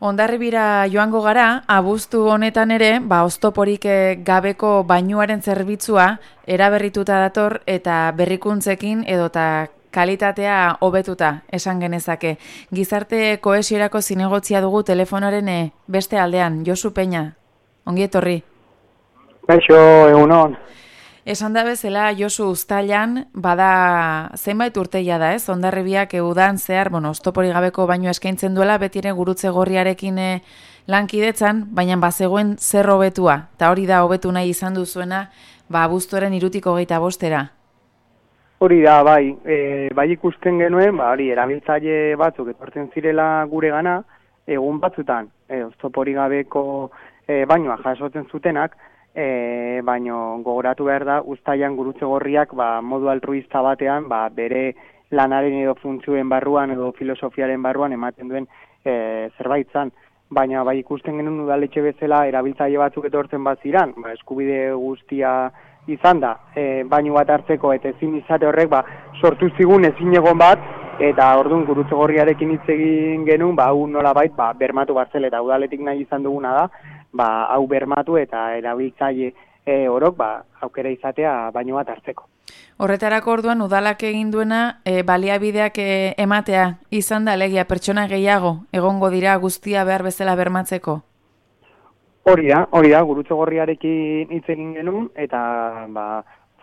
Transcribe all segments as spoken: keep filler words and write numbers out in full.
Hondarribira joango gara, abuztu honetan ere, ba, oztoporik gabeko bainuaren zerbitzua eraberrituta dator eta berrikuntzekin edota kalitatea hobetuta esan genezake. Gizarte kohesiorako zinegotzia dugu telefonoaren beste aldean, Josu Peña. Ongi etorri. Kaixo, egunon. Esan da bezala, Josu, uztailan, bada zenbait urteia da, ez? Hondarribiak udan zehar, bueno, oztopori gabeko baino eskaintzen duela, betire gurutze gorriarekin lankidetzan, baina bazegoen zer hobetua, eta hori da hobetu nahi izan duzuena, ba, abuztuaren irutiko hogeita bostera. Hori da, bai, e, bai ikusten genuen, ba, hori, erabiltzaile batzuk etortzen zirela gure gana, egun batzutan, e, oztopori gabeko e, bainoa jasotzen zutenak, E, baino gogoratu behar da, uztailan gurutze gorriak ba, modu altruista batean ba, bere lanaren edo funtzioen barruan edo filosofiaren barruan ematen duen e, zerbait zan. Baina bai ikusten genuen udaletxe bezala erabiltzaile batzuk etortzen bat ziran, ba, eskubide guztia izan da, e, baino bat hartzeko eta ezin izate horrek ba, sortu zigun ezin egon bat, eta orduan gurutze gorriarekin hitz egin genuen, ba, hau nolabait ba, bermatu bat zela eta udaletik nahi izan duguna da, ba, hau bermatu eta erabiltzaile e, orok ba, aukera izatea baino bat hartzeko. Horretarako orduan udalak egin duena e, baliabideak e, ematea izan da alegia pertsona gehiago egongo dira guztia behar bezala bermatzeko? Hori da, hori da, gurutze gorriarekin hitz egin genuen eta ba,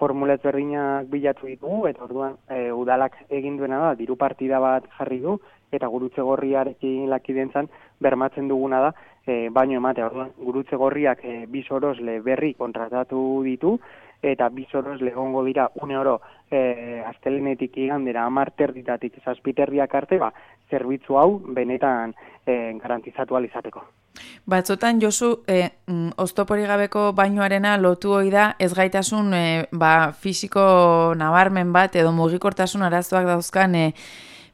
formulet berdinak bilatu ditugu eta orduan e, udalak egin duena da, diru partida bat jarri du eta gurutze gorriarekin lakidentzan bermatzen duguna da, e, baino ematea, orduan, gurutze gorriak e, bi sorosle berri kontratatu ditu, eta bi sorosle egongo dira une oro e, astelenetik igandera hamar terditatik zazpiterriak arte, ba, zerbitzu hau benetan e, garantizatu ahal izateko. Batzotan, Josu, e, oztopori gabeko bainoarena lotu hoi da ezgaitasun e, ba, fisiko nabarmen bat edo mugikortasun arazoak dauzkan e,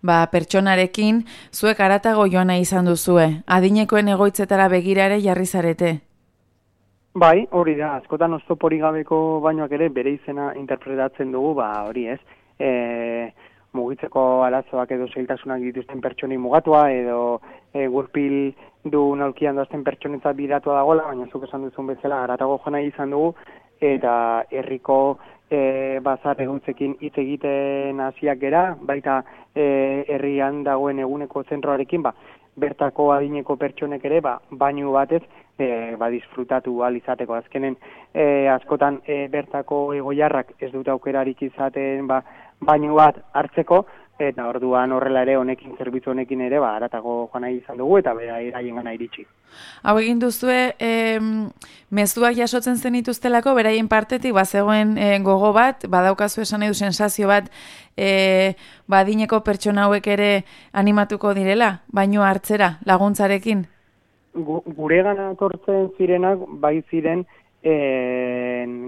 ba, pertsonarekin, zuek haratago joan nahi izan duzue, adinekoen egoitzetara begira ere jarri zarete. Bai, hori da, askotan oztopori gabeko bainoak ere bere izena interpretatzen dugu, ba hori ez, e, mugitzeko arazoak edo zailtasunak dituzten pertsonei mugatua, edo e, gurpil du naulkian doazten pertsonetzat bidatua dagoela, baina zuk esan duzun bezala haratago joan nahi izan dugu, eta herriko e, bazar eguntzekin hitz egiten hasiak gera, baita e, herrian dagoen eguneko zentroarekin, ba, bertako adineko pertsonek ere, ba, bainu batez, e, ba, disfrutatu ahal izateko. Azkenen, e, askotan e, bertako egoiarrak ez dute aukerarik izaten, ba, bainu bat hartzeko, eta orduan horrela ere honekin, zerbitzu honekin ere, ba, haratago joan nahi izan dugu, eta bera eraien gana iritsi. Hau egin duzue, e, mezuak jasotzen zenituztelako, beraien partetik, bazegoen e, gogo bat, badaukazu esan nahi du sensazio bat, e, badineko pertsona hauek ere animatuko direla, baino hartzera, laguntzarekin? Gu, gure gana tortzen zirenak, bai ziren, e,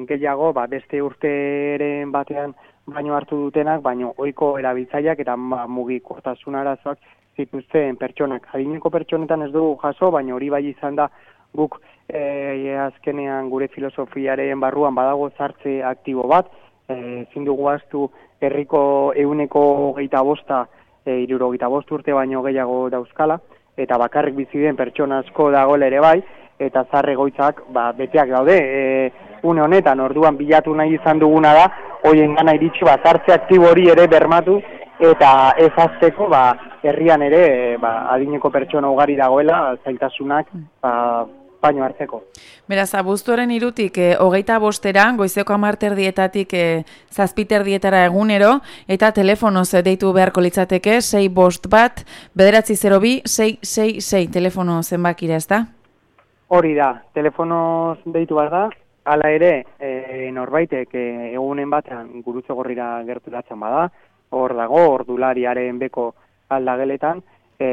gehiago, ba, beste urteren batean, baino hartu dutenak, baino ohiko erabiltzaileak eta mugikortasun arazoak zituzten pertsonak. Adineko pertsonetan ez dugu jaso, baina hori bai izan da guk e, azkenean gure filosofiaren barruan badago zartze aktibo bat, ezin e, dugu ahaztu herriko ehuneko hogeita bosta, e, hirurogeita bost urte baino gehiago dauzkala, eta bakarrik bizi den pertsona asko dagoela ere bai, eta zahar egoitzak ba, beteak daude. E, une honetan, orduan bilatu nahi izan duguna da, hoien gana iritsi bat hartze aktibo hori ere bermatu, eta ez azteko ba, herrian ere ba, adineko pertsona ugari dagoela, zailtasunak ba, baino hartzeko. Beraz, abuztuaren irutik, e, hogeita bostera, goizeko hamarterdietatik e, zazpiterdietara egunero, eta telefonoz deitu beharko litzateke, sei bost bat, bederatzi zero bi, sei sei sei, telefono zenbakira, ez da? Hori da, telefonoz deitu behar da, hala ere, e, norbaitek e, egunen batean gurutze gorrira gerturatzen bada, hor dago, ordulariaren beko aldageletan, e,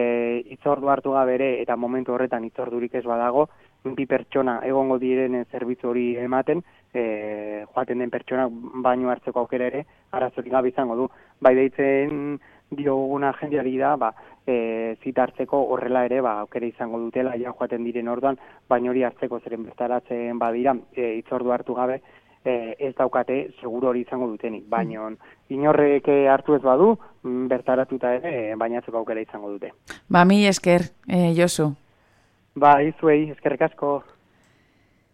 itzordu hartu gabe ere, eta momentu horretan itzordurik ez badago, bi pertsona egongo diren zerbitzu hori ematen, e, joaten den pertsona baino hartzeko aukera ere, arazorik gabe izango du. Bai deitzen dioguna jendeari da, ba, e, zita hartzeko horrela ere, ba, aukera izango dutela, ja joaten diren orduan, baino hori hartzeko zeren bertaratzen badira, e, itzordu hartu gabe, e, ez daukate seguru hori izango dutenik. Baina inorrek hartu ez badu, bertaratuta ere, bainatzeko aukera izango dute. Ba, mi esker, e, Josu. Bai, zuei, eskerrik asko.